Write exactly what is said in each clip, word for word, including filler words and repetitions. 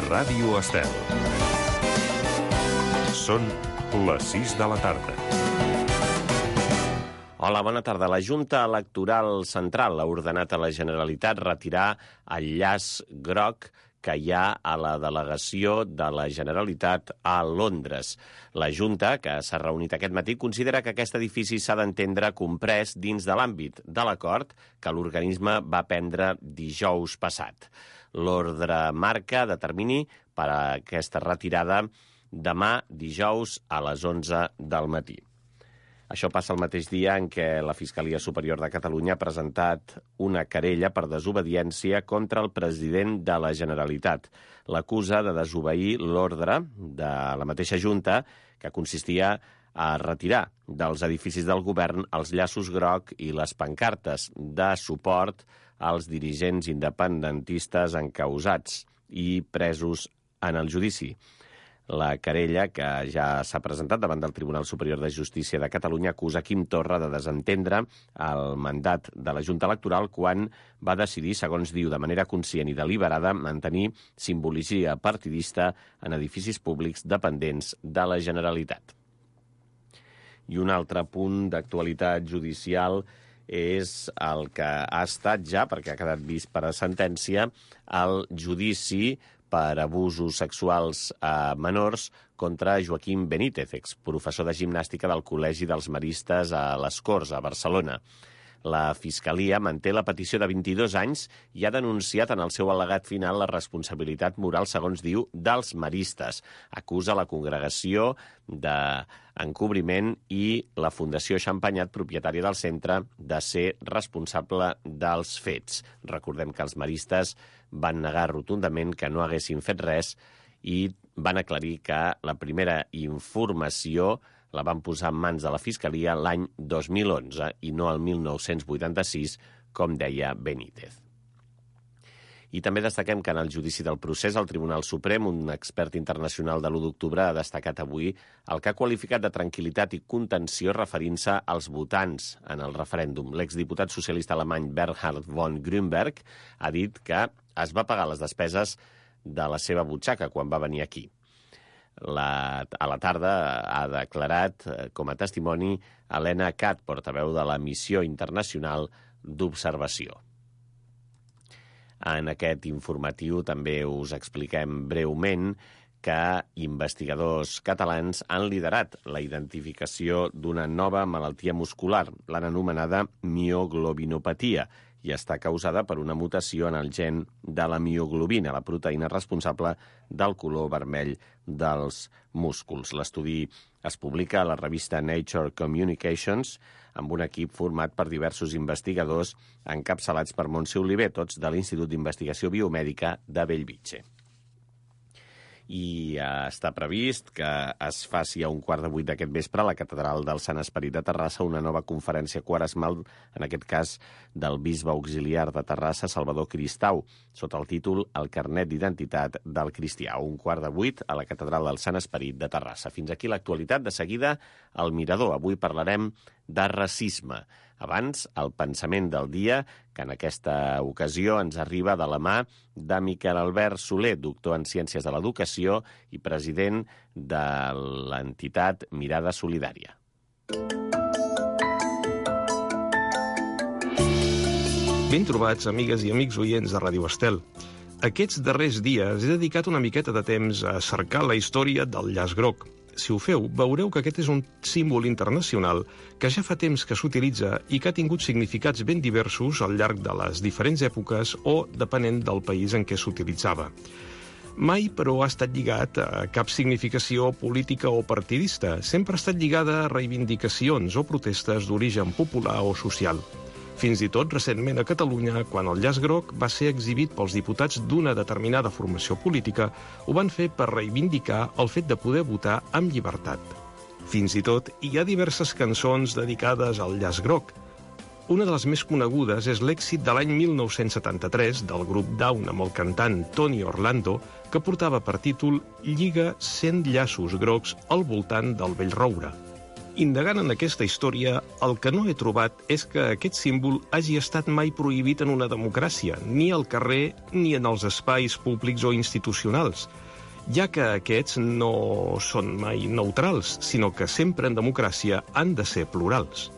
Ràdio Estel. Són les sis de la tarda. Hola, bona tarda. La Junta Electoral Central ha ordenat a la Generalitat retirar el llaç groc que hi ha a la delegació de la Generalitat a Londres. La Junta, que s'ha reunit aquest matí, considera que aquest edifici s'ha d'entendre comprès dins de l'àmbit de l'acord que l'organisme va prendre dijous passat. L'ordre marca de termini per a aquesta retirada demà dijous a les onze del matí. Això passa el mateix dia en què la Fiscalia Superior de Catalunya ha presentat una querella per desobediència contra el president de la Generalitat. L'acusa de desobeir l'ordre de la mateixa Junta, que consistia a retirar dels edificis del govern els llaços groc i les pancartes de suport als dirigents independentistes encausats i presos en el judici. La querella, que ja s'ha presentat davant del Tribunal Superior de Justícia de Catalunya, acusa Quim Torra de desentendre el mandat de la Junta Electoral quan va decidir, segons diu, de manera conscient i deliberada, mantenir simbologia partidista en edificis públics dependents de la Generalitat. I un altre punt d'actualitat judicial és el que ha estat ja, perquè ha quedat vist per a sentència, el judici per abusos sexuals a menors contra Joaquim Benítez, exprofessor de gimnàstica del Col·legi dels Maristes a les Corts, a Barcelona. La Fiscalia manté la petició de vint-i-dos anys i ha denunciat en el seu al·legat final la responsabilitat moral, segons diu, dels maristes. Acusa la congregació d'encobriment i la Fundació Xampanyat, propietària del centre, de ser responsable dels fets. Recordem que els maristes van negar rotundament que no haguessin fet res i van aclarir que la primera informació la van posar en mans de la Fiscalia l'any dos mil onze i no el mil nou-cents vuitanta-sis, com deia Benítez. I també destaquem que en el judici del procés al Tribunal Suprem, un expert internacional de l'u d'octubre ha destacat avui el que ha qualificat de tranquil·litat i contenció referint-se als votants en el referèndum. L'exdiputat socialista alemany Bernhard von Grünberg ha dit que es va pagar les despeses de la seva butxaca quan va venir aquí. La, a la tarda ha declarat com a testimoni Helena Katt, portaveu de la Missió Internacional d'Observació. En aquest informatiu també us expliquem breument que investigadors catalans han liderat la identificació d'una nova malaltia muscular, l'han anomenada mioglobinopatia, i està causada per una mutació en el gen de la mioglobina, la proteïna responsable del color vermell dels músculs. L'estudi es publica a la revista Nature Communications amb un equip format per diversos investigadors encapçalats per Montse Oliver, tots de l'Institut d'Investigació Biomèdica de Bellvitge. I eh, està previst que es faci a un quart de vuit d'aquest vespre a la Catedral del Sant Esperit de Terrassa una nova conferència quaresmal, en aquest cas del bisbe auxiliar de Terrassa, Salvador Cristau, sota el títol El carnet d'identitat del cristià. A un quart de vuit a la Catedral del Sant Esperit de Terrassa. Fins aquí l'actualitat. De seguida, al Mirador. Avui parlarem de racisme. Abans, el pensament del dia, que en aquesta ocasió ens arriba de la mà de Miquel Albert Soler, doctor en Ciències de l'Educació i president de l'entitat Mirada Solidària. Ben trobats, amigues i amics oients de Ràdio Estel. Aquests darrers dies he dedicat una miqueta de temps a cercar la història del llaç groc. Si ho feu, veureu que aquest és un símbol internacional que ja fa temps que s'utilitza i que ha tingut significats ben diversos al llarg de les diferents èpoques o depenent del país en què s'utilitzava. Mai, però, ha estat lligat a cap significació política o partidista. Sempre ha estat lligada a reivindicacions o protestes d'origen popular o social. Fins i tot recentment a Catalunya, quan el llaç groc va ser exhibit pels diputats d'una determinada formació política, ho van fer per reivindicar el fet de poder votar amb llibertat. Fins i tot hi ha diverses cançons dedicades al llaç groc. Una de les més conegudes és l'èxit de l'any mil nou-cents setanta-tres del grup Down amb el cantant Tony Orlando, que portava per títol Lliga cent llaços grocs al voltant del vell roure. Indagant en aquesta història, el que no he trobat és que aquest símbol hagi estat mai prohibit en una democràcia, ni al carrer ni en els espais públics o institucionals, ja que aquests no són mai neutrals, sinó que sempre en democràcia han de ser plurals.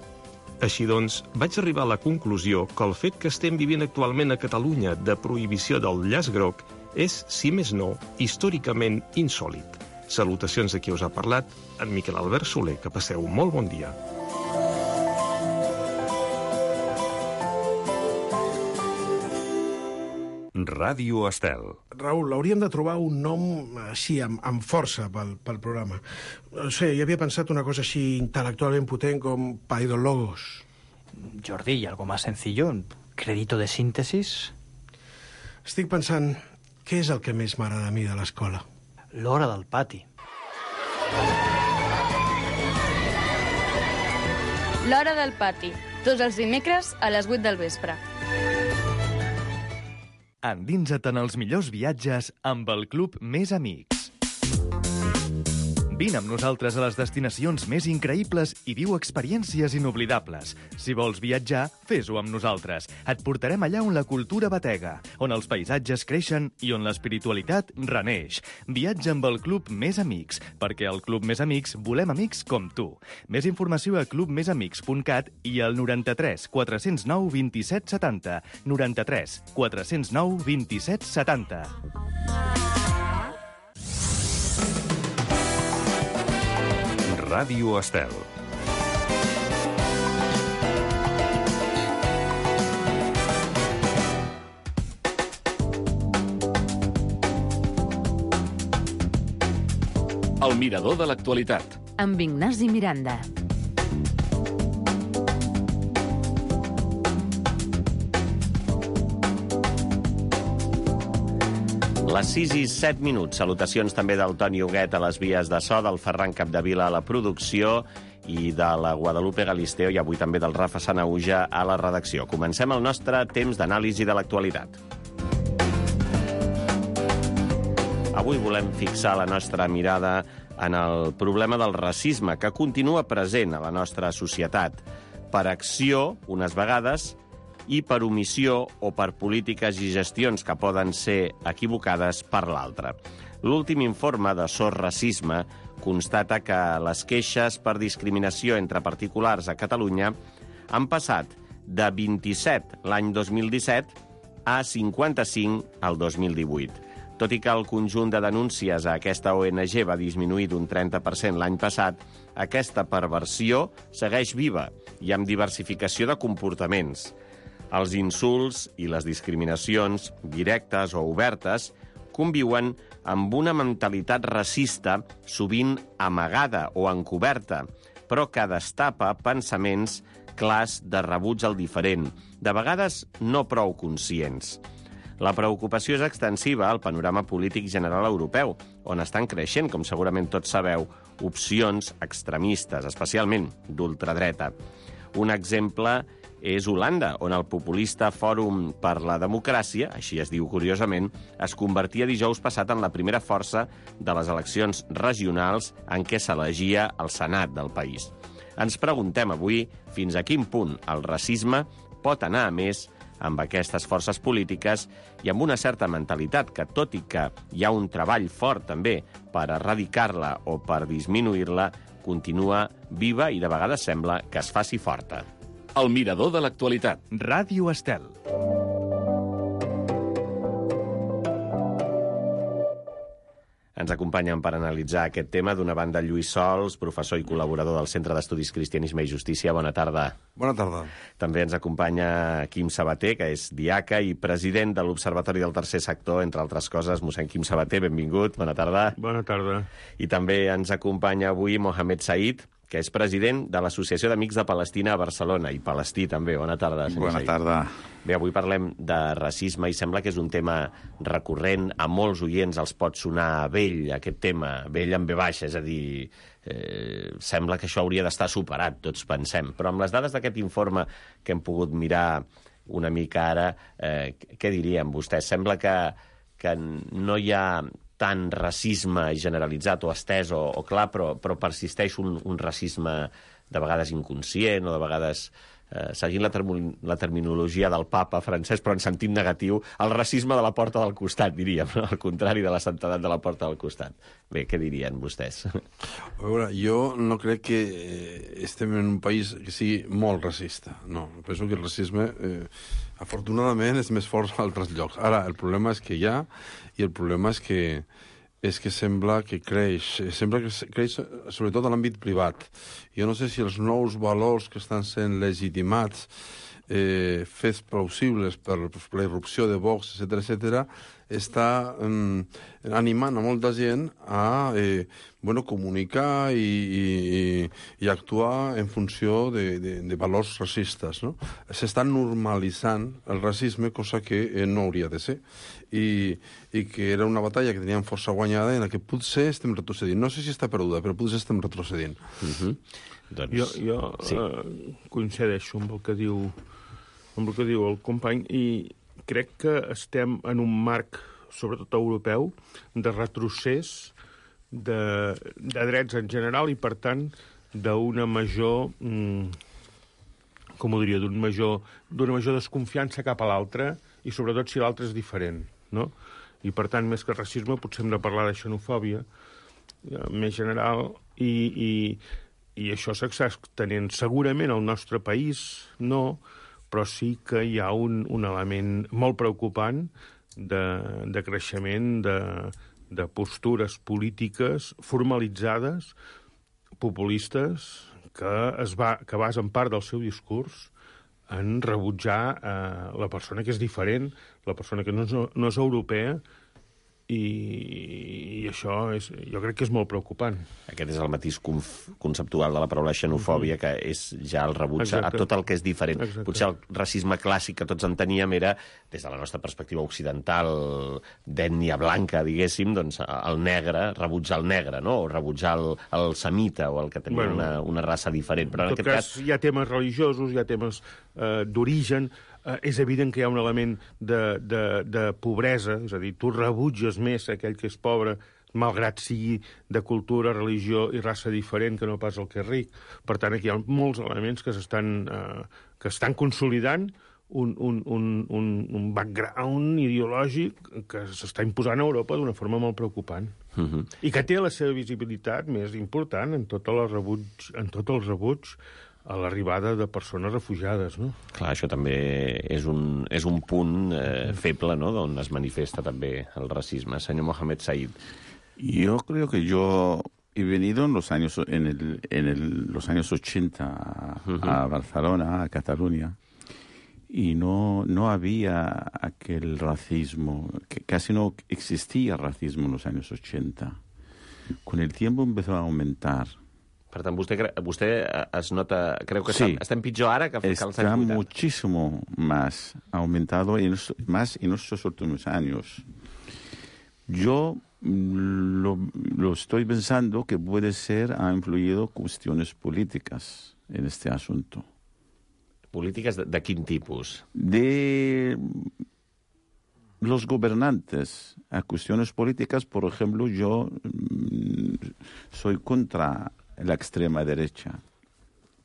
Així doncs, vaig arribar a la conclusió que el fet que estem vivint actualment a Catalunya de prohibició del llaç groc és, si més no, històricament insòlit. Salutacions de qui us ha parlat, en Miquel Albert Soler. Que passeu un molt bon dia. Ràdio Estel. Raül, hauríem de trobar un nom així, amb, amb força pel, pel programa. No sé, jo havia pensat una cosa així intel·lectualment potent com Paidologos. Jordi, ¿y algo más sencillo? ¿Crédito de síntesis? Estic pensant, què és el que més m'agrada a mi de l'escola? L'hora del pati. L'hora del pati, tots els dimecres a les vuit del vespre. Endinsa't en els millors viatges amb el Club Més Amics. Vine amb nosaltres a les destinacions més increïbles i viu experiències inoblidables. Si vols viatjar, fes-ho amb nosaltres. Et portarem allà on la cultura batega, on els paisatges creixen i on l'espiritualitat reneix. Viatja amb el Club Més Amics, perquè al Club Més Amics volem amics com tu. Més informació a club més amics punt cat i al noranta-tres quatre zero nou vint-i-set setanta. noranta-tres quatre zero nou vint-i-set setanta. Ràdio Estel. El mirador de l'actualitat. Amb Ignasi Miranda. Les sis i set minuts. Salutacions també del Toni Huguet a les vies de so, del Ferran Capdevila a la producció i de la Guadalupe Galisteo i avui també del Rafa Sanauja a la redacció. Comencem el nostre temps d'anàlisi de l'actualitat. Avui volem fixar la nostra mirada en el problema del racisme, que continua present a la nostra societat, per acció, unes vegades, i per omissió o per polítiques i gestions que poden ser equivocades per l'altra. L'últim informe de S O S Racisme constata que les queixes per discriminació entre particulars a Catalunya han passat de vint-i-set l'any dos mil disset a cinquanta-cinc el dos mil divuit. Tot i que el conjunt de denúncies a aquesta O N G va disminuir d'un trenta per cent l'any passat, aquesta perversió segueix viva i amb diversificació de comportaments. Els insults i les discriminacions, directes o obertes, conviuen amb una mentalitat racista, sovint amagada o encoberta, però que destapa pensaments clars de rebuig al diferent, de vegades no prou conscients. La preocupació és extensiva al panorama polític general europeu, on estan creixent, com segurament tots sabeu, opcions extremistes, especialment d'ultradreta. Un exemple és Holanda, on el populista Fòrum per la Democràcia, així es diu curiosament, es convertia dijous passat en la primera força de les eleccions regionals en què s'elegia el Senat del país. Ens preguntem avui fins a quin punt el racisme pot anar a més amb aquestes forces polítiques i amb una certa mentalitat que, tot i que hi ha un treball fort també per erradicar-la o per disminuir-la, continua viva i de vegades sembla que es faci forta. El mirador de l'actualitat. Ràdio Estel. Ens acompanyen per analitzar aquest tema d'una banda Lluís Sols, professor i col·laborador del Centre d'Estudis Cristianisme i Justícia. Bona tarda. Bona tarda. També ens acompanya Quim Sabater, que és diaca i president de l'Observatori del Tercer Sector, entre altres coses. Mossèn Quim Sabater, benvingut. Bona tarda. Bona tarda. I també ens acompanya avui Mohamed Said, que és president de l'Associació d'Amics de Palestina a Barcelona, i palestí també. Bona tarda, senyor Bona Said. tarda. Bé, avui parlem de racisme i sembla que és un tema recurrent. A molts oients els pot sonar vell, aquest tema, vell amb ve baixa, és a dir, eh, sembla que això hauria d'estar superat, tots pensem. Però amb les dades d'aquest informe que hem pogut mirar una mica ara, eh, què diríem vostès? Sembla que, que no hi ha tant racisme generalitzat o estès o, o clar, però, però persisteix un, un racisme de vegades inconscient o de vegades, eh, seguint la, term la terminologia del papa francès, però en sentit negatiu, el racisme de la porta del costat, diríem, no? Al contrari de la santedat de la porta del costat. Bé, què dirien vostès? A veure, jo no crec que estem en un país que sigui molt racista. No, penso que el racisme, eh, afortunadament, és més fort a altres llocs. Ara, el problema és que hi ha, i el problema és que és que sembla que creix, sembla que creix sobretot a l'àmbit privat. Jo no sé si els nous valors que estan sent legitimats, eh, fets plausibles per la irrupció de Vox, etcètera, etcètera, està eh, animant a molta gent a eh, bueno, comunicar i, i, i actuar en funció de, de, de valors racistes. No? S'està normalitzant el racisme, cosa que eh, no hauria de ser. I, i que era una batalla que teníem força guanyada en la que potser estem retrocedint. No sé si està perduda, però potser estem retrocedint. Uh-huh. doncs... Jo, jo sí. uh, coincideixo amb el que diu amb el que diu el company i crec que estem en un marc, sobretot europeu, de retrocés de, de drets en general i, per tant, d'una major, mm, com ho diria, d'un major, d'una major desconfiança cap a l'altre i, sobretot, si l'altre és diferent, no? I, per tant, més que racisme, potser hem de parlar de xenofòbia eh, més general i, i, i això s'està tenint segurament al nostre país, no, però sí que hi ha un, un element molt preocupant de, de creixement de, de postures polítiques formalitzades, populistes, que es va, que basen part del seu discurs en rebutjar eh, la persona que és diferent, la persona que no és, no és europea, i, i això és, jo crec que és molt preocupant. Aquest és el matís conceptual de la paraula xenofòbia, que és ja el rebuig Exacte. A tot el que és diferent. Exacte. Potser el racisme clàssic que tots enteníem era, des de la nostra perspectiva occidental, d'ètnia blanca, diguéssim, doncs el negre, rebutjar el negre, no? O rebutjar el, el semita, o el que tenia bueno, una, una raça diferent. Però en, en tot aquest cas, cas... hi ha temes religiosos, hi ha temes eh, d'origen. Uh, és evident que hi ha un element de, de, de pobresa, és a dir, tu rebutges més aquell que és pobre, malgrat sigui de cultura, religió i raça diferent que no pas el que és ric. Per tant, aquí hi ha molts elements que s'estan uh, que estan consolidant un, un, un, un, un background ideològic que s'està imposant a Europa d'una forma molt preocupant. Uh-huh. I que té la seva visibilitat més important en tot el rebuig, en tot el rebuig a l'arribada de persones refugiades, no? Clar, això també és un, és un punt eh, feble, ¿no?, d'on es manifesta també el racisme. Senyor Mohamed Said. Yo creo que yo he venido en los años, en el, en el, los años ochenta a, uh-huh. a Barcelona, a Cataluña, y no, no había aquel racismo, que casi no existía racismo en los años ochenta. Con el tiempo empezó a aumentar. Per tant, vostè, vostè es nota, creu que sí. Està pitjor ara que, que als anys vuitanta. Está muchísimo más, ha aumentado en, más en estos últimos años. Yo lo, lo estoy pensando que puede ser, ha influido cuestiones políticas en este asunto. ¿Políticas de, de quin tipus? De los gobernantes. A cuestiones políticas, por ejemplo, yo soy contra la extrema derecha,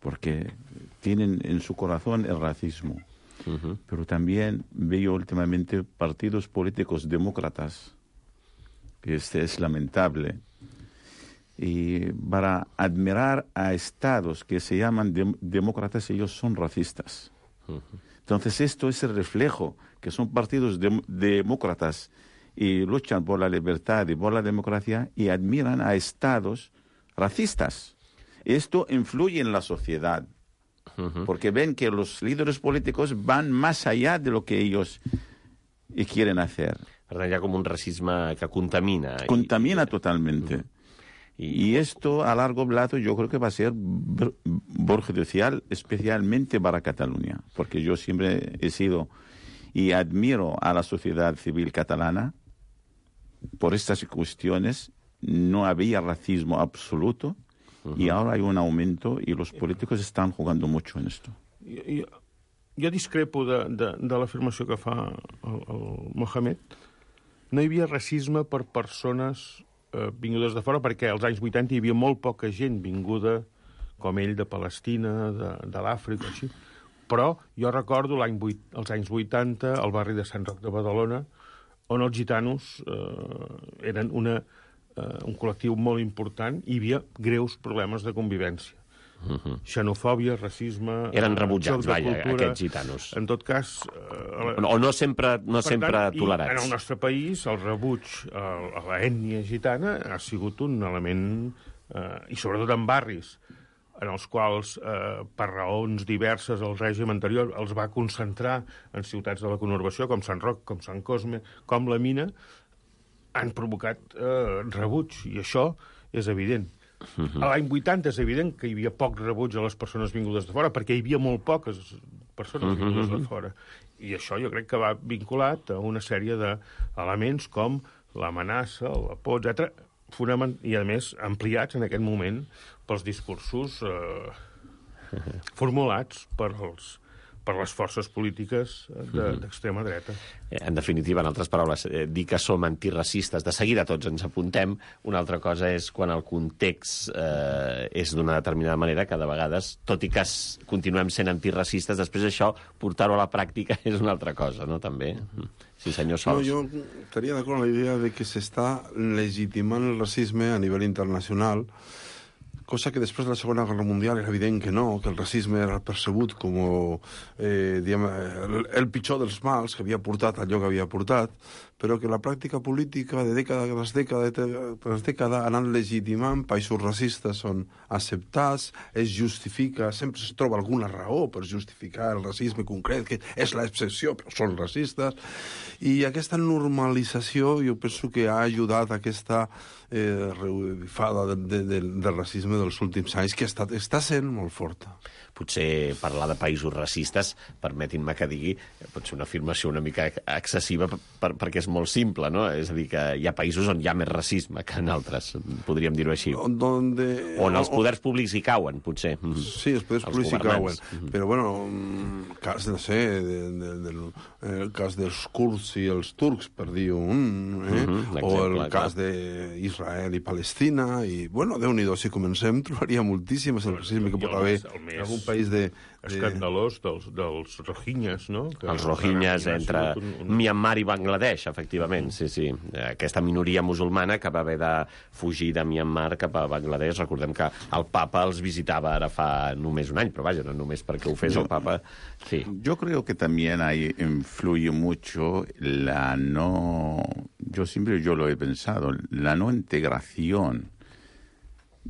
porque tienen en su corazón el racismo. Uh-huh. Pero también veo últimamente partidos políticos demócratas, que este es lamentable, y para admirar a estados que se llaman de- demócratas, ellos son racistas. Uh-huh. Entonces esto es el reflejo, que son partidos de- demócratas y luchan por la libertad y por la democracia y admiran a estados racistas. Esto influye en la sociedad, uh-huh. porque ven que los líderes políticos van más allá de lo que ellos quieren hacer. Per tant, hi ha com un racisme que contamina. Contamina i... totalmente. Uh-huh. Y, y esto a largo plazo yo creo que va a ser perjudicial, especialmente para Cataluña, porque yo siempre he sido y admiro a la sociedad civil catalana por estas cuestiones. No había racismo absoluto, uh-huh. y ahora hay un aumento y los políticos están jugando mucho en esto. Jo, jo, jo discrepo de, de, de l'afirmació que fa el, el Mohamed, no hi havia racisme per persones eh, vingudes de fora, perquè als anys vuitanta hi havia molt poca gent vinguda com ell de Palestina, de, de l'Àfrica, així. Però jo recordo l'any vuit, els anys vuitanta, al barri de Sant Roc de Badalona, on els gitanos eh, eren una, eh, un col·lectiu molt important i hi havia greus problemes de convivència. Uh-huh. Xenofòbia, racisme... Eren rebutjats, vaja, cultura. aquests gitanos. En tot cas... Eh, o no sempre, no per sempre tant, tolerats. En el nostre país, el rebuig a, a l'ètnia gitana ha sigut un element... Eh, I sobretot en barris en els quals, eh, per raons diverses, el règim anterior els va concentrar en ciutats de la conurbació, com Sant Roc, com Sant Cosme, com la Mina, han provocat eh, rebuig, i això és evident. Uh-huh. A l'any vuitanta és evident que hi havia poc rebuig a les persones vingudes de fora, perquè hi havia molt poques persones uh-huh. vingudes de fora. I això jo crec que va vinculat a una sèrie d'elements com l'amenaça, la por, etcètera, fonament, i, a més, ampliats en aquest moment pels discursos eh, formulats per, els, per les forces polítiques de, d'extrema dreta. En definitiva, en altres paraules, eh, dir que som antiracistes, de seguida tots ens apuntem. Una altra cosa és quan el context eh, és d'una determinada manera, que de vegades, tot i que continuem sent antiracistes, després això, portar-ho a la pràctica és una altra cosa, no?, també. Sí, senyor Sols. No, jo estaria d'acord amb la idea de que s'està legitimant el racisme a nivell internacional, cosa que després de la Segona Guerra Mundial era evident que no, que el racisme era percebut com eh, diguem, el, el pitjor dels mals que havia portat allò que havia portat, però que la pràctica política de dècada tras dècada tras dècada ha anat legitimant països racistes on acceptats, es justifica, sempre es troba alguna raó per justificar el racisme concret, que és l'excepció, però són racistes, i aquesta normalització jo penso que ha ajudat a aquesta eh, revifada de, de, de, del racisme dels últims anys, que està, està sent molt forta. Potser parlar de països racistes, permetin-me que digui, pot ser una afirmació una mica excessiva per, perquè és molt simple, no? És a dir, que hi ha països on hi ha més racisme que en altres, podríem dir-ho així. Donde... On els poders públics hi cauen, potser. Sí, els poders els públics hi cauen. Mm-hmm. Però, bueno, el cas, no sé, de, de, de, el cas dels kurds i els turcs, per dir un, eh? Mm-hmm, o el cas d'Israel i Palestina, i, bueno, Déu-n'hi-do, si comencem, trobaria moltíssimes el racisme que pot haver en algun país de... escandalós dels, dels rohinyes, no? Que els rohinyes entre un, un... Myanmar i Bangladesh, efectivament, sí, sí. Aquesta minoria musulmana que va haver de fugir de Myanmar cap a Bangladesh. Recordem que el papa els visitava ara fa només un any, però vaja, no només perquè ho fes el papa. Sí. Yo creo que también ahí influye mucho la no... Yo siempre yo lo he pensado, la no integración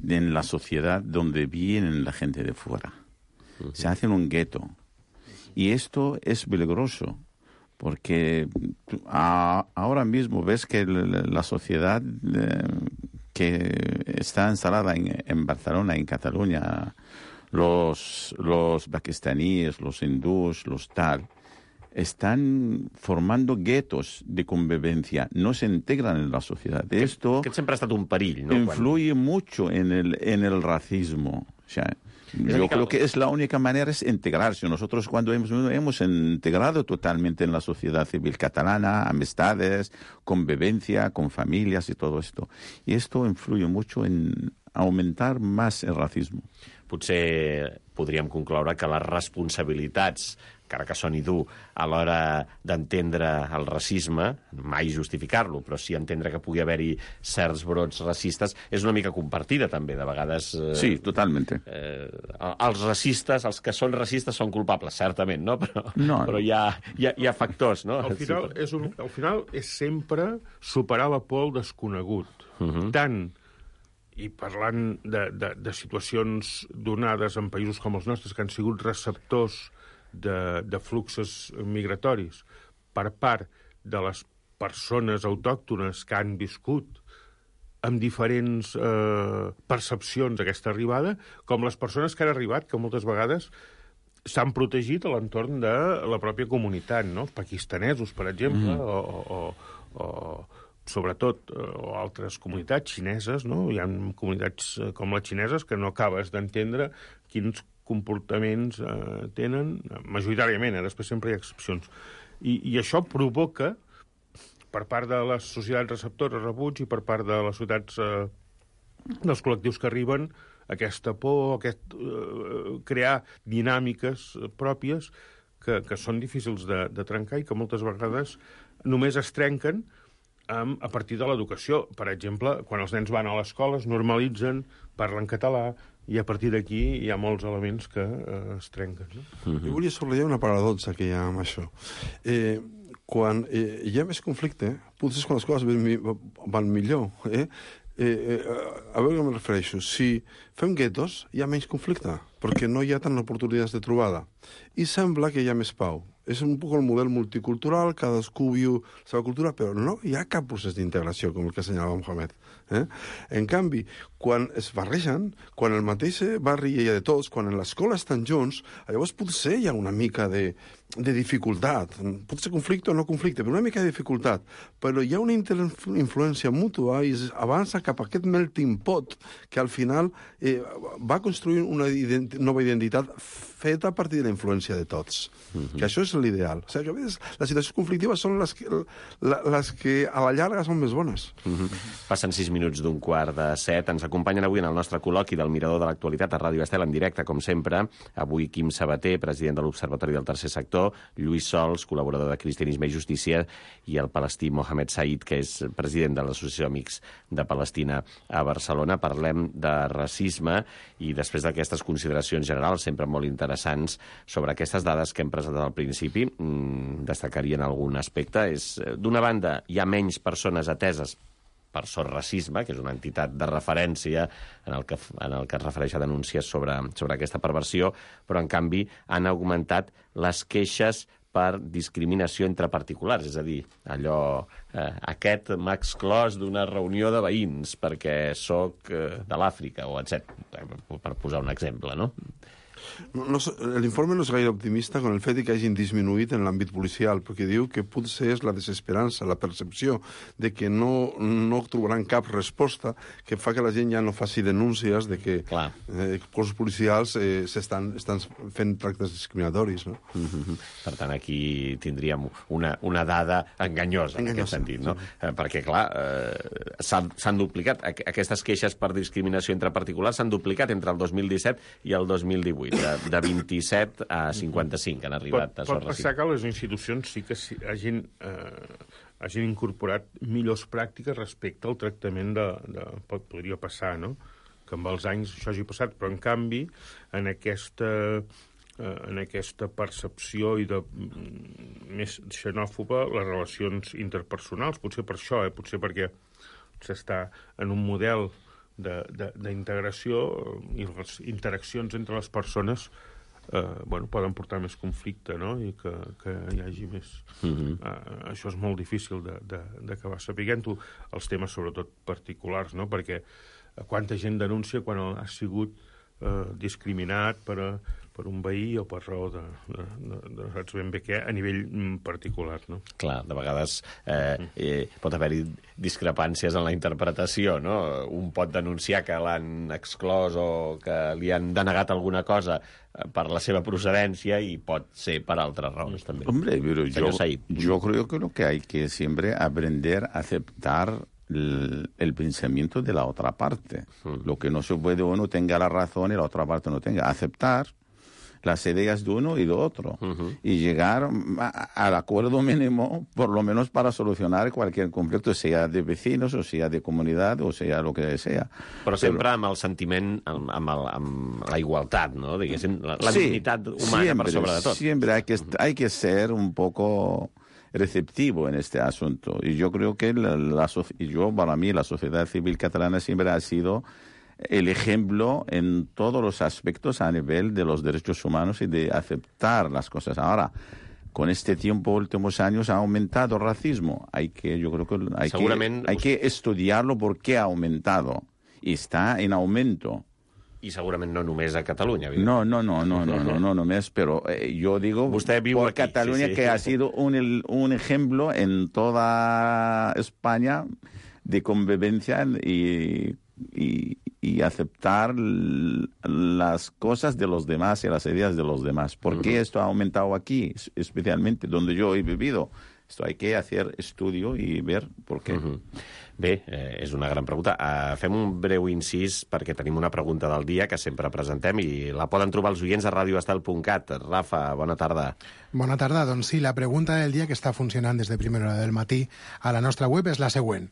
en la sociedad donde vienen la gente de fuera. Uh-huh. Se hacen un gueto. Y esto es peligroso, porque a, ahora mismo ves que la, la sociedad eh, que está instalada en, en Barcelona, en Cataluña, los, los pakistaníes, los hindús, los tal, están formando guetos de convivencia, no se integran en la sociedad. Esto que siempre ha estat un perill, ¿no? Influye Quan... mucho en el, en el racismo. O sea, yo creo que es la única manera es integrarse. Nosotros cuando hemos, hemos integrado totalmente en la sociedad civil catalana, amistades, convivencia con familias y todo esto. Y esto influye mucho en aumentar más el racismo. Potser podríem concloure que les responsabilitats, encara que soni dur, a l'hora d'entendre el racisme, mai justificar-lo, però sí entendre que pugui haver-hi certs brots racistes, és una mica compartida, també, de vegades... Eh, sí, totalment. Eh, els racistes, els que són racistes, són culpables, certament, no? Però, no, però hi, ha, hi, ha, hi ha factors, no? Al final, és un, al final és sempre superar la por al desconegut. Uh-huh. Tant i parlant de, de, de situacions donades en països com els nostres, que han sigut receptors de, de fluxos migratoris per part de les persones autòctones que han viscut amb diferents eh, percepcions d'aquesta arribada, com les persones que han arribat, que moltes vegades s'han protegit a l'entorn de la pròpia comunitat, no? Els pakistanesos, per exemple, mm. o... o, o sobretot, o altres comunitats xineses, no? Hi ha comunitats com les xineses que no acabes d'entendre quins comportaments eh, tenen, majoritàriament, eh? Després sempre hi ha excepcions. I, i això provoca, per part de les societats receptores rebuts i per part de les societats eh, dels col·lectius que arriben, aquesta por, aquest, eh, crear dinàmiques pròpies que, que són difícils de, de trencar i que moltes vegades només es trenquen um, a partir de l'educació. Per exemple, quan els nens van a l'escola es normalitzen, parlen català, i a partir d'aquí hi ha molts elements que eh, es trenquen. No? Mm-hmm. Jo volia subratllar una paradoxa que hi ha amb això. Eh, quan eh, hi ha més conflicte, potser és quan les coses van, van millor. Eh? Eh, eh, a veure què em refereixo. Si fem guetos, hi ha menys conflicte, perquè no hi ha tant oportunitats de trobada. I sembla que hi ha més pau. És un poc el model multicultural, cadascú viu la seva cultura, però no hi ha cap procés d'integració, com el que assenyalava Mohamed. Eh? En canvi, quan es barregen, quan el mateix barri hi ha de tots, quan en l'escola estan junts, llavors potser hi ha una mica de, de dificultat. Pot ser conflicte o no conflicte, però una mica de dificultat. Però hi ha una influència mútua i es avança cap a aquest melting pot que al final eh, va construir una identi- nova identitat feta a partir de la influència de tots. Mm-hmm. Que això és l'ideal. O sigui, que a vegades les situacions conflictives són les que, la, les que a la llarga són més bones. Mm-hmm. Passen sis minuts d'un quart de set. Ens acompanyen avui en el nostre col·loqui del Mirador de l'Actualitat a Ràdio Estel en directe, com sempre. Avui Quim Sabater, president de l'Observatori del Tercer Sector, Lluís Sols, col·laborador de Cristianisme i Justícia, i el palestí Mohamed Said, que és president de l'Associació Amics de Palestina a Barcelona. Parlem de racisme i després d'aquestes consideracions generals, sempre molt interessants, sobre aquestes dades que hem presentat al principi, mmm, destacarien algun aspecte. És, d'una banda, hi ha menys persones ateses per Sor Racisme, que és una entitat de referència en el que, en el que es refereix a denúncies sobre, sobre aquesta perversió, però, en canvi, han augmentat les queixes per discriminació entre particulars, és a dir, allò, eh, aquest m'ha exclòs d'una reunió de veïns perquè sóc eh, de l'Àfrica, o etcètera, per posar un exemple, no? No, no, l'informe no és gaire optimista con el fet que hagin disminuït en l'àmbit policial, perquè diu que potser és la desesperança, la percepció de que no, no trobaran cap resposta que fa que la gent ja no faci denúncies de que eh, cossos policials eh, s'estan estan fent tractes discriminatoris. No? Mm-hmm. Per tant, aquí tindríem una, una dada enganyosa, enganyosa en aquest sentit, no? Sí. Eh, perquè, clar, eh, s'han duplicat. Aquestes queixes per discriminació entre particulars s'han duplicat entre el dos mil disset i el dos mil divuit. De, de vint-i-set a cinquanta-cinc han arribat pot, a Sor Pot passar que les institucions sí que sí, hagin, eh, hagin incorporat millors pràctiques respecte al tractament de... de pot, podria passar, no?, que amb els anys això hagi passat, però en canvi en aquesta, eh, en aquesta percepció i de més xenòfoba les relacions interpersonals, potser per això, eh, potser perquè s'està en un model d'integració i les interaccions entre les persones eh, bueno, poden portar més conflicte, no? I que, que hi hagi més... Mm-hmm. eh, això és molt difícil d'acabar sapiguent-ho, els temes sobretot particulars, no? Perquè quanta gent denuncia quan ha sigut eh, discriminat per, a, per un veí o per raó de, de, de, de saps ben bé què, a nivell particular, no? Clar, de vegades eh, eh, pot haver-hi discrepàncies en la interpretació, no? Un pot denunciar que l'han exclòs o que li han denegat alguna cosa per la seva procedència i pot ser per altres raons, també. Hombre, pero yo, yo creo que lo que hay que siempre aprender a aceptar el, el pensamiento de la otra parte. Mm. Lo que no se puede, uno tenga la razón y la otra parte no tenga. Aceptar las ideas de uno y de otro, uh-huh. y llegar a, al acuerdo mínimo, por lo menos para solucionar cualquier conflicto, sea de vecinos, o sea de comunidad, o sea lo que sea. Però sempre Però... amb el sentiment, amb, amb, el, amb la igualtat, no? Diguéssim, la, la sí, dignitat humana siempre, per sobre de tot. Siempre hay que, hay que ser un poco receptivo en este asunto. Y yo creo que la, la, yo, para mí la sociedad civil catalana siempre ha sido el ejemplo en todos los aspectos a nivel de los derechos humanos y de aceptar las cosas. Ahora, con este tiempo, últimos años, ha aumentado el racismo. Hay que, yo creo que hay, que, hay que estudiarlo por qué ha aumentado. Y está en aumento. I segurament no només a Catalunya. No, no, no, no, no, no, no només, però eh, jo digo por aquí, Cataluña, sí, sí. Que ha sido un, un ejemplo en toda España de convivencia y, y, y aceptar las cosas de los demás y las ideas de los demás. ¿Por qué uh-huh. esto ha aumentado aquí, especialmente donde yo he vivido? Esto hay que hacer estudio y ver por qué. Uh-huh. Bé, eh, és una gran pregunta. Uh, fem un breu incís perquè tenim una pregunta del dia que sempre presentem i la poden trobar els oients a radioestel punt cat. Rafa, bona tarda. Bona tarda. Doncs sí, la pregunta del dia que està funcionant des de primera hora del matí a la nostra web és la següent.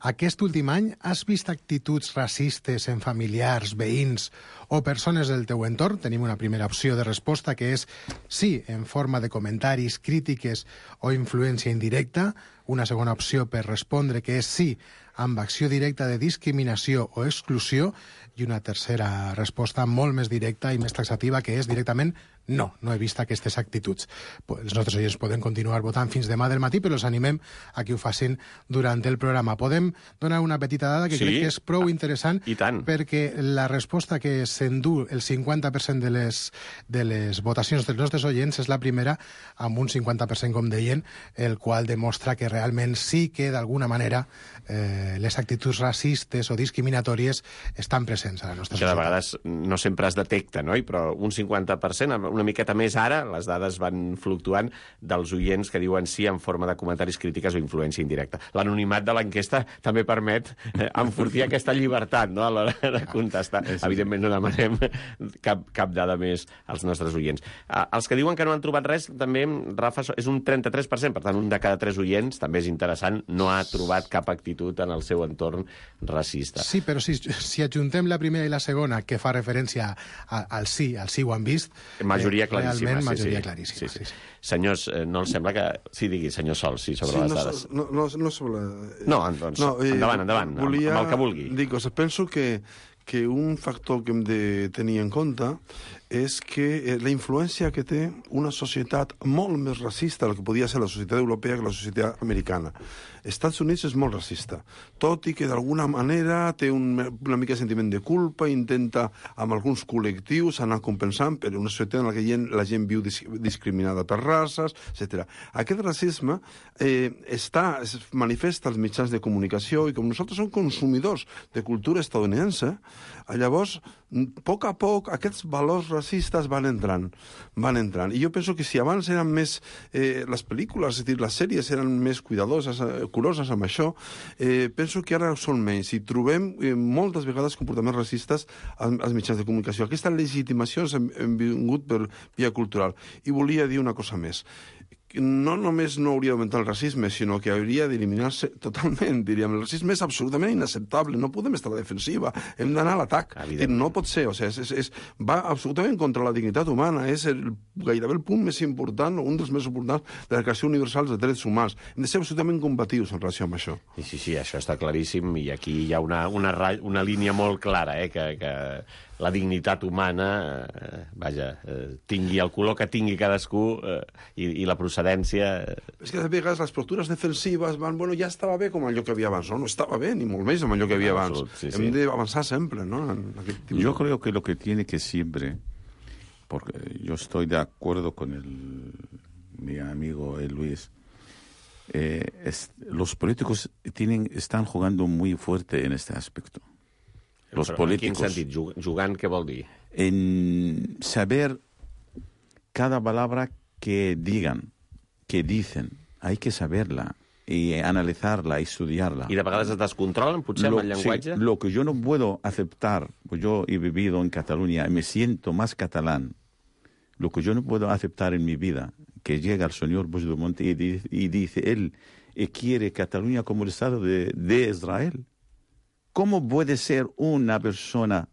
Aquest últim any has vist actituds racistes en familiars, veïns o persones del teu entorn? Tenim una primera opció de resposta que és sí, en forma de comentaris, crítiques o influència indirecta. Una segona opció per respondre que és sí, amb acció directa de discriminació o exclusió. I una tercera resposta molt més directa i més taxativa que és directament no, no he vist aquestes actituds. Els nostres oients poden continuar votant fins demà del matí, però els animem a que ho facin durant el programa. Podem donar una petita dada que sí, crec que és prou interessant i tant, perquè la resposta que s'endú el cinquanta per cent de les, de les votacions dels nostres oients és la primera, amb un cinquanta per cent, com deien, el qual demostra que realment sí que, d'alguna manera, eh, les actituds racistes o discriminatòries estan presents a la nostra societat. societat. De vegades no sempre es detecta, no? Però un cinquanta per cent, una miqueta més ara, les dades van fluctuant dels oients que diuen sí en forma de comentaris, crítiques o influència indirecta. L'anonimat de l'enquesta també permet enfortir aquesta llibertat, no?, a l'hora de contestar. Evidentment no demanem cap, cap dada més als nostres oients. Els que diuen que no han trobat res, també, Rafa, és un trenta-tres per cent, per tant, un de cada tres oients, també és interessant, no ha trobat cap actitud en el seu entorn racista. Sí, però si, si adjuntem la primera i la segona, que fa referència a, al sí, al sí ho han vist... Majoria claríssima. Realment, majoria sí, claríssima. Sí, sí. Sí, sí. Senyors, no els sembla que... Sí, digui, senyor Sol, sí, sobre sí, les no, dades. No, no, no sobre... No, doncs, no, eh, endavant, endavant, volia... amb el que vulgui. Dic, o sigui, penso que, que un factor que hem de tenir en compte és que la influència que té una societat molt més racista del que podia ser la societat europea que la societat americana. Estats Units és molt racista, tot i que d'alguna manera té un, una mica de sentiment de culpa, intenta amb alguns col·lectius anar compensant per una societat en la que gent, la gent viu dis, discriminada per races, etcètera. Aquest racisme eh, està, es manifesta als mitjans de comunicació i com nosaltres som consumidors de cultura estadounidense, llavors, a poc a poc, aquests valors racistes van entrant, van entrant. I jo penso que si abans eren més, eh, les pel·lícules, és a dir, les sèries eren més cuidadoses, eh, curoses amb això, eh, penso que ara són menys. I trobem eh, moltes vegades comportaments racistes als, als mitjans de comunicació. Aquesta legitimació hem, hem vingut per via cultural. I volia dir una cosa més. No només no hauria d'augmentar el racisme, sinó que hauria d'eliminar-se totalment, diríem. El racisme és absolutament inacceptable, no podem estar a la defensiva, hem d'anar a l'atac. No pot ser, o sigui, és, és, és, va absolutament contra la dignitat humana, és el, gairebé el punt més important, o un dels més importants de la Declaració Universal dels Drets Humans. Hem de ser absolutament combatius en relació amb això. Sí, sí, sí, això està claríssim, i aquí hi ha una, una, una línia molt clara, eh, que... que... la dignitat humana, eh, vaja, eh, tingui el color que tingui cadascú eh, i, i la procedència... Eh... És que de vegades les postures defensives van, bueno, ja estava bé com allò que havia abans, no? No estava bé, ni molt més amb allò que havia abans. Sí, sí. Hem d'avançar sempre, ¿no? En aquest tipus. Yo creo que lo que tiene que siempre, porque yo estoy de acuerdo con el, mi amigo el Luis, eh, es, los políticos tienen, están jugando muy fuerte en este aspecto. Los Però políticos, en quin sentit? Jugant, què vol dir? En saber cada palabra que digan, que dicen, hay que saberla y analizarla y estudiarla. I de vegades es descontrolen, potser, lo, amb el llenguatge? Sí, lo que yo no puedo aceptar, pues yo he vivido en Cataluña y me siento más catalán, lo que yo no puedo aceptar en mi vida, que llega el señor Puigdemont y, dice, y dice, él y quiere Cataluña como el Estado de, de Israel. ¿Cómo puede ser una persona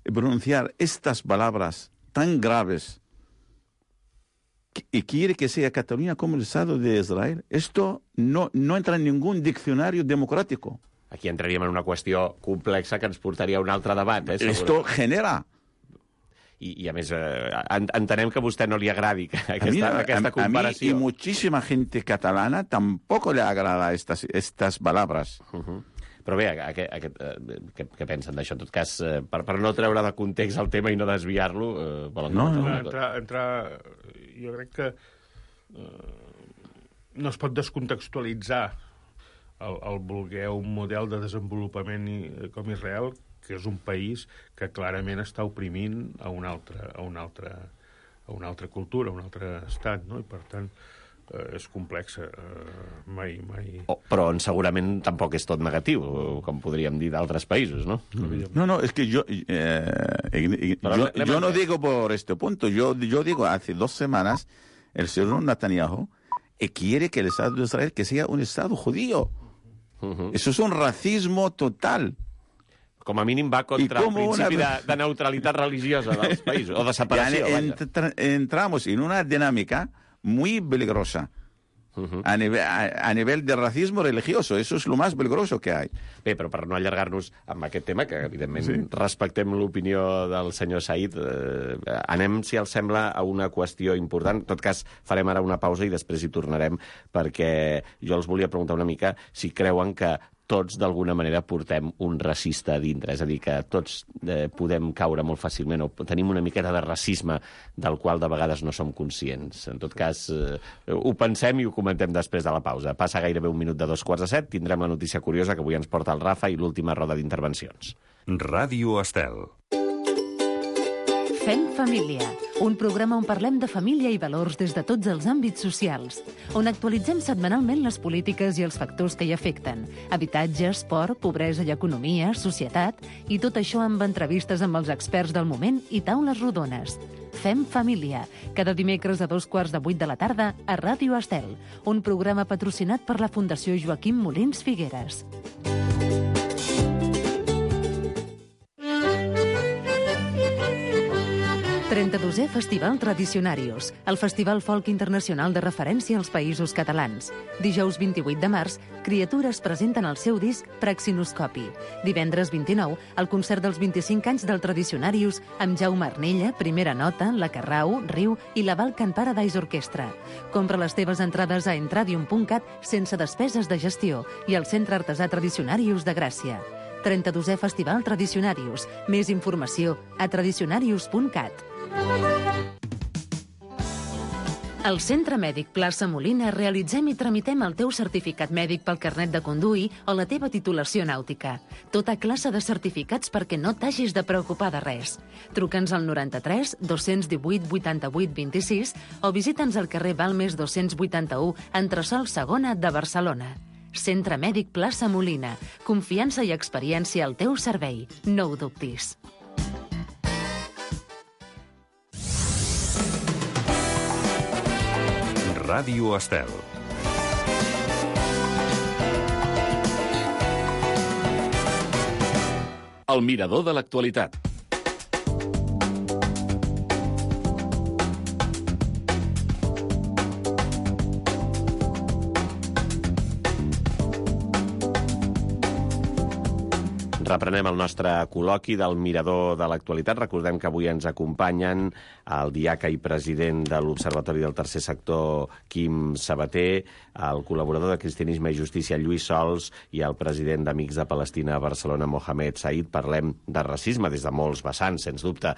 pronunciar estas palabras tan graves y quiere que sea Cataluña como el Estado de Israel? Esto no, no entra en ningún diccionario democrático. Aquí entraríem en una qüestió complexa que ens portaria a un altre debat. Eh, Esto genera... I, i a més, eh, entenem que a vostè no li agradi aquesta, a mí, aquesta a, comparació. A mí y muchísima gente catalana tampoco le agrada estas, estas palabras. Uh-huh. Però bé, aquest, aquest, eh, què, què pensen d'això? En tot cas, eh, per, per no treure de context el tema i no desviar-lo... Eh, volen no, no. Entrar, entrar, jo crec que eh, no es pot descontextualitzar el, el voler un model de desenvolupament i, com Israel, que és un país que clarament està oprimint a una altra, a una altra, a una altra cultura, a un altre estat, no? I per tant, eh, és complexa. Eh, mai, mai... Oh, però segurament tampoc és tot negatiu, com podríem dir d'altres països, ¿no? Mm. No, no, es que yo, eh, yo, yo no digo por este punto, yo, yo digo, hace dos semanas el señor Netanyahu quiere que el Estado de Israel que sea un Estado judío. Uh-huh. Eso es un racismo total. Com a mínim va contra el principi una... de, de neutralitat religiosa dels països, o de separació. Entra, entramos en una dinámica muy peligrosa. Uh-huh. a, nivel, a, a nivel de racismo religioso. Eso es lo más peligroso que hay. Bé, però per no allargar-nos amb aquest tema, que evidentment sí. respectem l'opinió del senyor Said, eh, anem, si els sembla, a una qüestió important. En tot cas, farem ara una pausa i després hi tornarem, perquè jo els volia preguntar una mica si creuen que tots, d'alguna manera, portem un racista a dintre. És a dir, que tots eh, podem caure molt fàcilment o tenim una miqueta de racisme del qual de vegades no som conscients. En tot cas, eh, ho pensem i ho comentem després de la pausa. Passa gairebé un minut de dos quarts de set, tindrem la notícia curiosa que avui ens porta el Rafa i l'última roda d'intervencions. Ràdio Estel. Fem família, un programa on parlem de família i valors des de tots els àmbits socials, on actualitzem setmanalment les polítiques i els factors que hi afecten, habitatge, esport, pobresa i economia, societat, i tot això amb entrevistes amb els experts del moment i taules rodones. Fem família, cada dimecres a dos quarts de vuit de la tarda a Ràdio Estel, un programa patrocinat per la Fundació Joaquim Molins Figueres. trenta-dosè Festival Tradicionarius, el festival folk internacional de referència als països catalans. Dijous vint-i-vuit de març, Criatures presenten el seu disc Praxinoscopi. Divendres vint-i-nou, el concert dels vint-i-cinc anys del Tradicionarius amb Jaume Arnella, Primera Nota, La Carrau, Riu i la Balkan Paradise Orquestra. Compra les teves entrades a entradium punt cat sense despeses de gestió i al Centre Artesà Tradicionarius de Gràcia. trenta-dosè Festival Tradicionarius. Més informació a tradicionarius punt cat. Al Centre Mèdic Plaça Molina realitzem i tramitem el teu certificat mèdic pel carnet de conduir o la teva titulació nàutica. Tota classe de certificats perquè no t'hagis de preocupar de res. Truca'ns al noranta-tres dos-cents divuit vuitanta-vuit vint-i-sis o visita'ns al carrer Balmes dos-cents vuitanta-u, entresòl segona de Barcelona. Centre Mèdic Plaça Molina. Confiança i experiència al teu servei. No ho dubtis. Ràdio Estel. El mirador de l'actualitat. Reprenem el nostre col·loqui del Mirador de l'Actualitat. Recordem que avui ens acompanyen el diaca i president de l'Observatori del Tercer Sector, Quim Sabater, el col·laborador de Cristianisme i Justícia, Lluís Sols, i el president d'Amics de Palestina a Barcelona, Mohamed Said. Parlem de racisme des de molts vessants, sens dubte.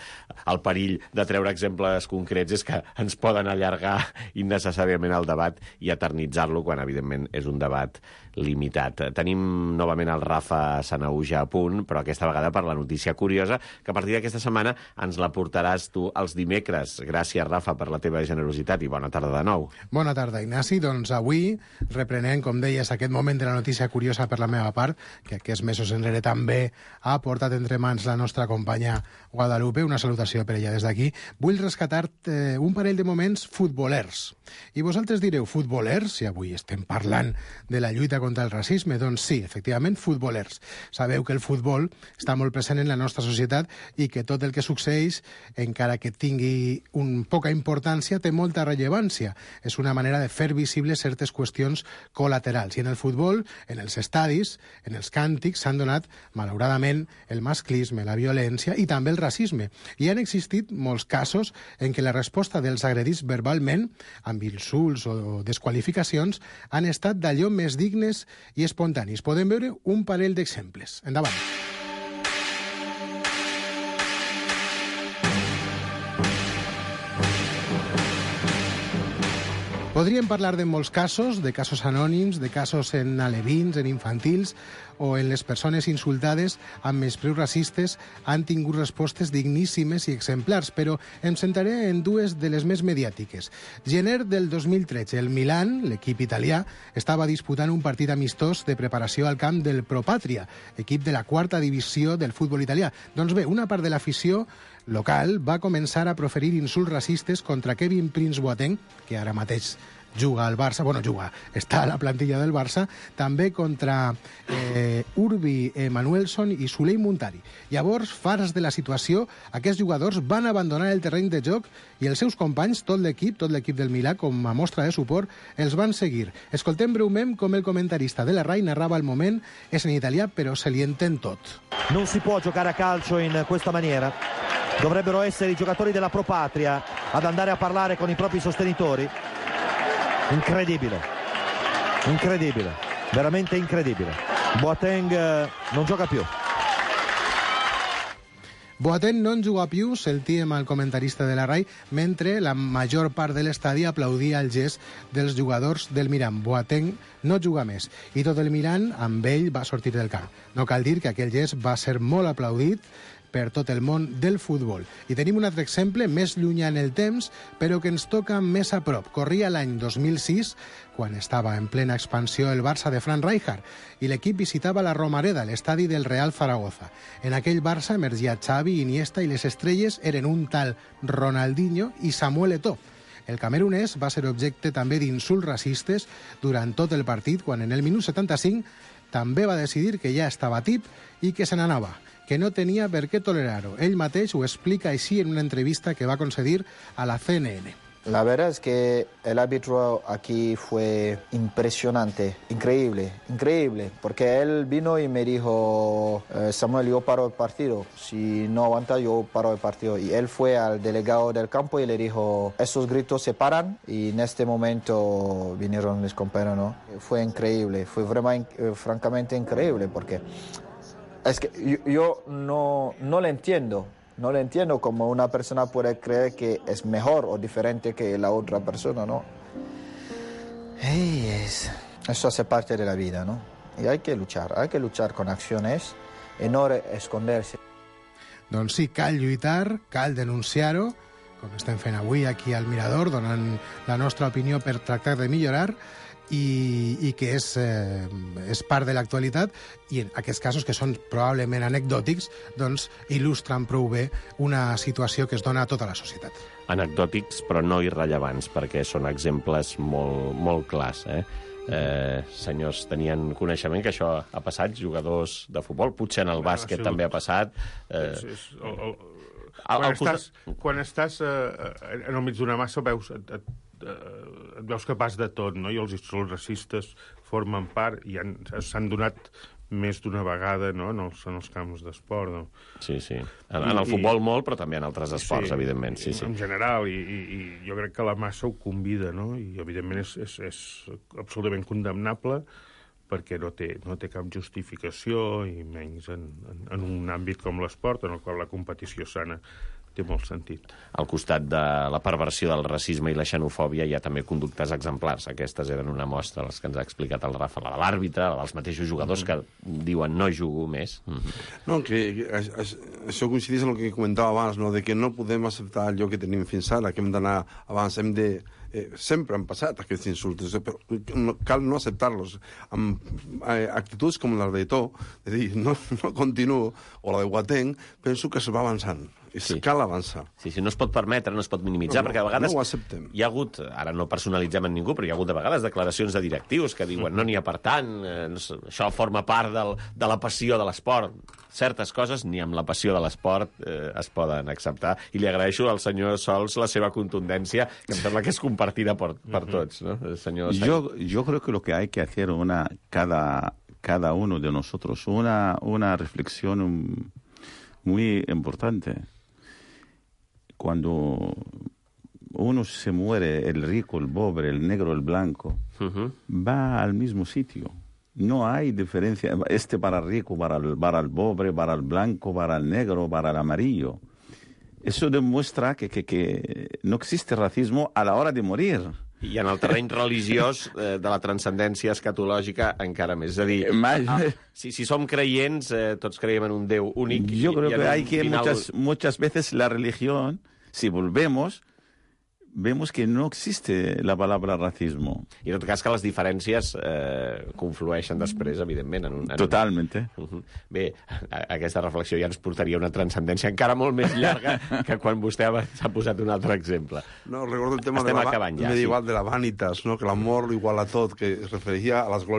El perill de treure exemples concrets és que ens poden allargar innecessàriament el debat i eternitzar-lo, quan, evidentment, és un debat limitat. Tenim novament el Rafa Sanauja a punt, però aquesta vegada per la notícia curiosa, que a partir d'aquesta setmana ens la portaràs tu els dimecres. Gràcies, Rafa, per la teva generositat i bona tarda de nou. Bona tarda, Ignasi. Doncs avui reprenem, com deies, aquest moment de la notícia curiosa per la meva part, que aquests mesos enrere també ha portat entre mans la nostra companya Guadalupe. Una salutació per ella des d'aquí. Vull rescatar eh, un parell de moments futbolers. I vosaltres direu, futbolers? Si avui estem parlant de la lluita contra el racisme, doncs sí, efectivament, futbolers. Sabeu que el futbol està molt present en la nostra societat i que tot el que succeeix, encara que tingui un poca importància, té molta rellevància. És una manera de fer visibles certes qüestions col·laterals. I en el futbol, en els estadis, en els càntics, s'han donat, malauradament, el masclisme, la violència i també el racisme. I han existit molts casos en què la resposta dels agredits verbalment, amb insults o desqualificacions, han estat d'allò més dignes i espontanis. Podem veure un parell d'exemples. Endavant. Podríem parlar de molts casos, de casos anònims, de casos en alevins, en infantils, o en les persones insultades amb menyspreus racistes han tingut respostes digníssimes i exemplars, però em centraré en dues de les més mediàtiques. Gener del dos mil tretze, el Milan, l'equip italià, estava disputant un partit amistós de preparació al camp del Pro Patria, equip de la quarta divisió del futbol italià. Doncs bé, una part de l'afició local va començar a proferir insults racistes contra Kevin Prince Boateng, que ara mateix juga al Barça, bueno, juga, està a la plantilla del Barça, també contra eh, Urbi Emanuelson i Suley Muntari. Llavors, farts de la situació, aquests jugadors van abandonar el terreny de joc i els seus companys, tot l'equip, tot l'equip del Milà, com a mostra de suport, els van seguir. Escoltem breument com el comentarista de la RAI narrava el moment, és en italià, però se li entén tot. Non si può giocare a calcio in questa maniera. Dovrebbero essere i giocatori della Pro Patria ad andare a parlare con i propri sostenitori. Incredibile, incredibile, veramente incredibile. Boateng eh, non gioca più. Boateng no en juga più, sentíem al comentarista de la RAI, mentre la major part de l'estadi aplaudia el gest dels jugadors del Milan. Boateng no juga més, i tot el Milan amb ell va sortir del camp. No cal dir que aquell gest va ser molt aplaudit per tot el món del futbol. I tenim un altre exemple més llunyà en el temps, però que ens toca més a prop. Corria l'any dos mil sis, quan estava en plena expansió el Barça de Frank Rijkaard, i l'equip visitava la Romareda, l'estadi del Real Zaragoza. En aquell Barça emergia Xavi, Iniesta, i les estrelles eren un tal Ronaldinho i Samuel Eto'o. El camerunès va ser objecte també d'insults racistes durant tot el partit, quan en el minut setanta-cinc també va decidir que ja estava tip i que se n'anava, que no tenia per què tolerar-ho. Ell mateix ho explica així en una entrevista que va concedir a la C N N. La verdad es que el árbitro aquí fue impresionante, increíble, increíble, porque él vino y me dijo, eh, Samuel, yo paro el partido, si no aguanta yo paro el partido. Y él fue al delegado del campo y le dijo, esos gritos se paran, y en este momento vinieron mis compañeros, ¿no? Fue increíble, fue vraiment, eh, francamente increíble, porque es que yo, yo no, no le entiendo. No le entiendo cómo una persona puede creer que es mejor o diferente que la otra persona, ¿no? Hey, es... Eso hace parte de la vida, ¿no? Y hay que luchar, hay que luchar con acciones y no esconderse. Doncs sí, cal lluitar, cal denunciar-ho, com estem fent avui aquí al Mirador, donant la nostra opinió per tractar de millorar, i, i que és, eh, és part de l'actualitat, i en aquests casos, que són probablement anecdòtics, doncs il·lustren prou bé una situació que es dona a tota la societat. Anecdòtics, però no irrellevants, perquè són exemples molt, molt clars, eh? Eh, senyors, tenien coneixement que això ha passat, jugadors de futbol, potser en el bàsquet ah, també ha passat. Eh, és, és, el, el, quan, el, estàs, quan estàs eh, en el mig d'una massa veus... Et, et, et veus capaç de tot, no? I els insults racistes formen part i s'han donat més d'una vegada, no?, en els, en els camps d'esport, no? Sí, sí. En, I, en el futbol i, molt, però també en altres esports, sí, evidentment. Sí, sí. En general, i, i, i jo crec que la massa ho convida, no? I, evidentment, és, és, és absolutament condemnable perquè no té, no té cap justificació, i menys en, en, en un àmbit com l'esport, en el qual la competició sana té molt sentit. Al costat de la perversió del racisme i la xenofòbia hi ha també conductes exemplars. Aquestes eren una mostra, les que ens ha explicat el Rafa, la de l'àrbitre, la dels mateixos jugadors mm -hmm. que diuen no jugo més. Mm -hmm. No, que, que això coincideix amb el que comentava abans, no? De que no podem acceptar allò que tenim fins ara, que hem d'anar abans, hem de... Eh, sempre han passat aquests insults, però no, cal no acceptar-los. Amb eh, actituds com la de Eto'o, de dir, no, no continuo, o la de Boateng, penso que es va avançant. Sí. Cal avançar. Sí, sí, no es pot permetre, no es pot minimitzar, no, no, perquè a vegades... No ho acceptem. Hi ha hagut, ara no personalitzem en ningú, però hi ha hagut de vegades declaracions de directius que diuen no n'hi ha per tant, eh, això forma part del, de la passió de l'esport. Certes coses, ni amb la passió de l'esport eh, es poden acceptar. I li agraeixo al senyor Sols la seva contundència, que em sembla que és compartida per, per tots, ¿no? El senyor yo, yo creo que lo que hay que hacer una cada, cada uno de nosotros, una, una reflexión muy importante. Cuando uno se muere, el rico, el pobre, el negro, el blanco, uh-huh. va al mismo sitio. No hay diferencia, este para el rico, para el, para el pobre, para el blanco, para el negro, para el amarillo. Eso demuestra que, que, que no existe racismo a la hora de morir. I en el terreny religiós eh, de la transcendència escatològica encara més. És a dir, Más- ah, si, si som creients, eh, tots creiem en un Déu únic. Yo i- creo i en que un hay que final- muchas, muchas veces la religión, si volvemos, vemos que no existe la palabra racismo. I en tot cas que les diferències eh, conflueixen després, evidentment. En un, en Totalmente. Un... Bé, a, aquesta reflexió ja ens portaria a una transcendència encara molt més llarga que quan vostè ha- s'ha posat un altre exemple. No, recordo el tema Estem de la, acabant ja, medieval sí. de la vanitas, ¿no? Que l'amor igual a tot, que es referia a les glòries